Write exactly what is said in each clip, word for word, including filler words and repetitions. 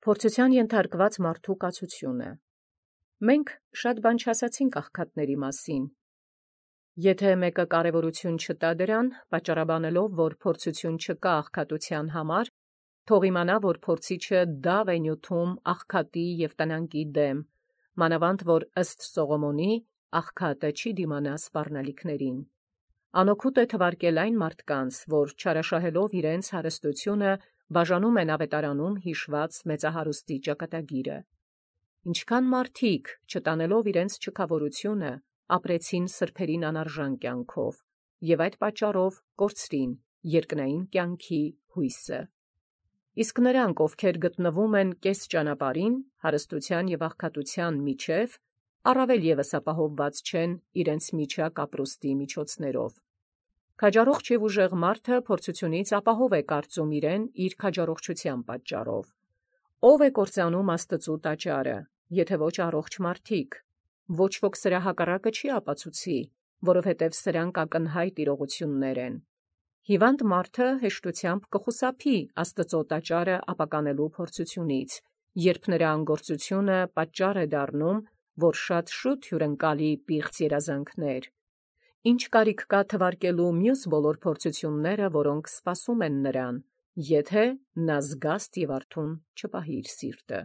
Փորձութեան ենթարկված մարդու կացությունը։ Մենք շատ բան չասացինք աղքատների մասին։ Եթե մեկը կարևորություն չտա դրան, պատճառաբանելով, որ փորձություն չկա աղքատության համար, թող իմանա, որ փորձիչը դավ է նյութում աղքատի և տնանկի դեմ, մանավանդ որ ըստ Սողոմոնի աղքատը չի դիմանա սպառնալիքներին։ Անօգուտ է թվարկել այն մարդկանց, որ չարաշահելով իրենց հարստությունը բաժանում են ավետարանում հիշված մեծահարուստի ճակատագիրը։ Ինչքան մարդիկ, չտանելով իրենց չքավորությունը, ապրեցին սրբերին անարժան կյանքով, և այդ պատճառով կորցրին երկնային կյանքի հույսը։ Իսկ նրանք, ովքեր գտնվում են կես ճանապարհին, հարստության և աղքատության միջև, առավել ևս ապահովված չեն իրենց միջակ ապրուստի միջոցներով։ Քաջառողջ և ուժեղ մարդը փորձությունից ապահով է կարծում իրեն իր քաջառողջության պատճառով։ Ո՞վ է կործանում Աստծու տաճարը, եթե ոչ առողջ մարդիկ։ Ոչ ոք սրա հակառակը չի ապացուցի, որովհետև սրանք ակնհայտ իրողություններ են։ Հիվանդ մարդը հեշտությամբ կխուսափի Աստծու տաճարը ապականելու փորձությունից, երբ նրա անգործությունը պատճառ է դառնում, որ շատ շուտ հյուրընկալի պիղծ երազանքներ։ Ինչ կարիք կա թվարկելու մյուս բոլոր փորձությունները, որոնք սպասում են նրան, եթե նա զգաստ և արթուն չպահի իր սիրտը։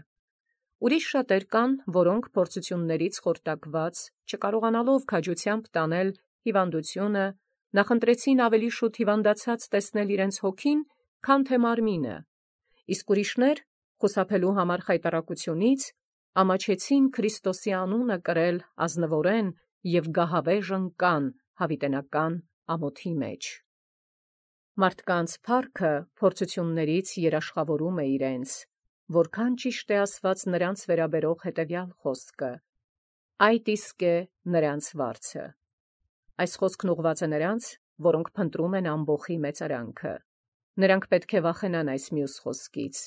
Ուրիշ շատեր կան, որոնք փորձություններից խորտակված, չկարողանալով քաջությամբ տանել հիվանդությունը, նախընտրեցին ավելի շուտ հիվանդացած տեսնել իրենց հոգին, քան թե մարմինը, իսկ ուրիշներ, խուսափելու համար խայտառակությունից, ամաչեցին Քրիստոսի անունը կրել ազնվորեն և գահավեժ ընկան հավիտենական ամոթի մեջ։ Մարդկանց փառքը փորձություններից երաշխավորում է իրենց, որքան ճիշտ է ասված նրանց վերաբերող հետևյալ խոսքը. «Այդ իսկ է նրանց վարձը»։ Այս խոսքն ուղղված է նրանց, որոնք փնտրում են ամբոխի մեծարանքը։ Նրանք պետք է վախենան այս մյուս խոսքից.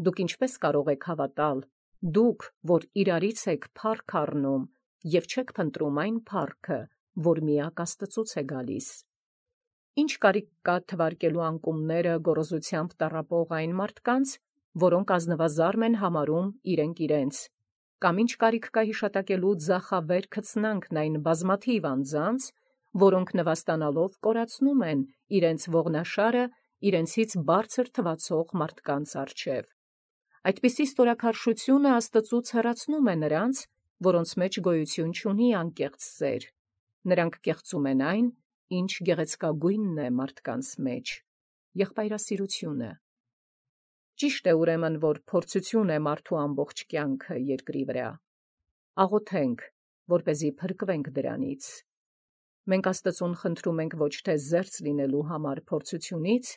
«Դուք ինչպե՞ս կարող եք հավատալ, դուք, որ իրարից եք փառք առնում և չեք փնտրում այն փառքը, որ միակ Աստծուց է գալիս»։ Ինչ կարիք կա թվարկելու անկումները գոռոզությամբ տառապող այն մարդկանց, որոնք ազնվազարմ են համարում իրենք իրենց, կամ ինչ կարիք կա հիշատակելու ձախավեր քծնանքն այն բազմաթիվ անձանց, որոնք նվաստանալով կորացնում են իրենց ողնաշարը իրենցից բարձր թվացող մարդկանց առջև։ Այդպիսի ստորաքարշությունը Աստծուց հեռացնում է նրանց, որոնց մեջ գոյություն չունի անկեղծ սեր։ Նրանք կեղծում են այն, ինչ գեղեցկագույնն է մարդկանց մեջ՝ եղբայրասիրությունը։ Ճիշտ է ուրեմն, որ փորձություն է մարդու ամբողջ կյանքը երկրի վրա։ Աղոթենք, որպեսզի փրկվենք դրանից։ Մենք Աստծուն խնդրում ենք ոչ թե զերծ լինելու համար փորձությունից,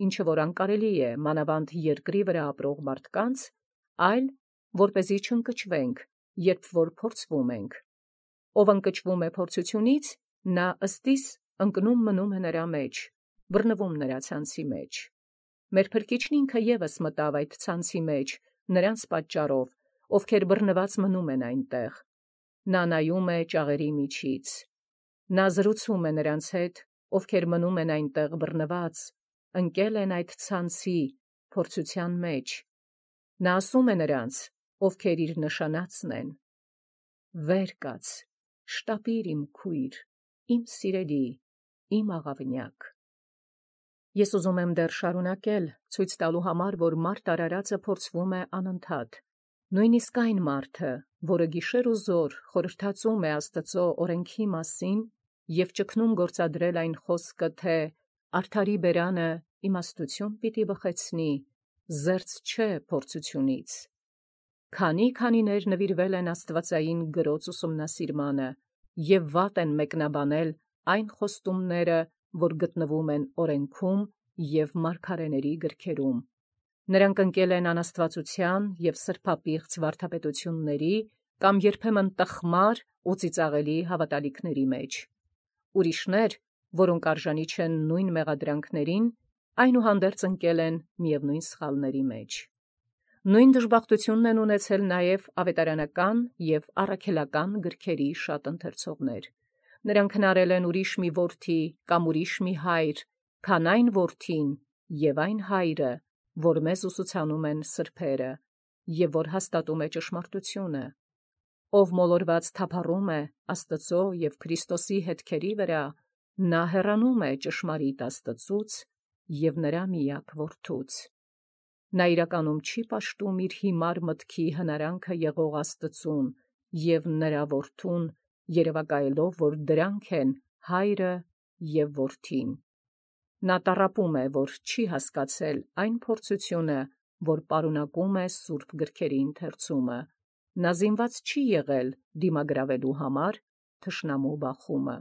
ինչը որ անկարելի է մանավանդ երկրի վրա ապրող մարդկանց, այլ որպեսզի չընկճվենք, երբ որ փորձվում ենք։ Ով ընկճվում է փորձությունից, նա ըստիս ընկնում մնում է նրա մեջ, բռնվում նրա ցանցի մեջ։ Մեր Փրկիչն ինքը ևս մտավ այդ ցանցի մեջ նրանց պատճառով, ովքեր բռնված մնում են այնտեղ։ Նա նայում է ճաղերի միջից։ Նա զրուցում է նրանց հետ, ովքեր մնում են այնտեղ բռնված, ընկել են այդ ցանցի, փորձության մեջ։ Նա ասում է նրանց, ովքեր իր նշանածն են. «Վեր կաց, շտապիր իմ քույր, իմ սիրելի, իմ աղավնյակ»։ Ես ուզում եմ դեռ շարունակել, ցույց տալու համար, որ մարդ արարածը փորձվում է անընդհատ։ Նույնիսկ այն մարդը, որը գիշեր ու զօր խորհրդածում է Աստծու օրենքի մասին և ճգնում գործադրել այն խոսքը, թե «Արդարի բերանը իմաստություն պիտի բխեցնի», զերծ չէ փորձությունից։ Քանի՛֊քանիներ նվիրվել են աստվածային գրոց ուսումնասիրմանը և վատ են մեկնաբանել այն խոստումները, որ գտնվում են օրենքում և մարգարեների գրքերում։ Նրանք ընկել են անաստվածության և սրբապիղծ վարդապետությունների կամ երբեմն տխմար ու ծիծաղելի հավատալիքների մեջ։ Ուրիշներ, որոնք արժանի չեն նույն մեղադրանքներին, այնուհանդերձ ընկել են միևնույն սխալների մեջ։ Նույն դժբախտությունն են ունեցել նաև ավետարանական և առաքելական գրքերի շատ ընթերցողներ։ Նրանք հնարել են ուրիշ մի որդի կամ ուրիշ մի հայր, քան այն որդին և այն հայրը, որ մեզ ուսուցանում են սրբերը, եւ որ հաստատում է ճշմարտությունը, ով մոլորված թափառում է Աստծո եւ Քրիստոսի հետքերի վրա, նա հեռանում է ճշմարիտ Աստծուց եւ նրա միակ որդուց։ Նա իրականում չի պաշտում իր հիմար մտքի հնարանքը եղող Աստծուն եւ նրա որդուն, երևակայելով, որ դրանք են հայրը եւ որդին։ Նա տառապում է, որ չի հասկացել այն փորձությունը, որ պարունակում է սուրբ գրքերի ընթերցումը։ Նա զինված չի եղել դիմագրավելու համար թշնամու բախումը։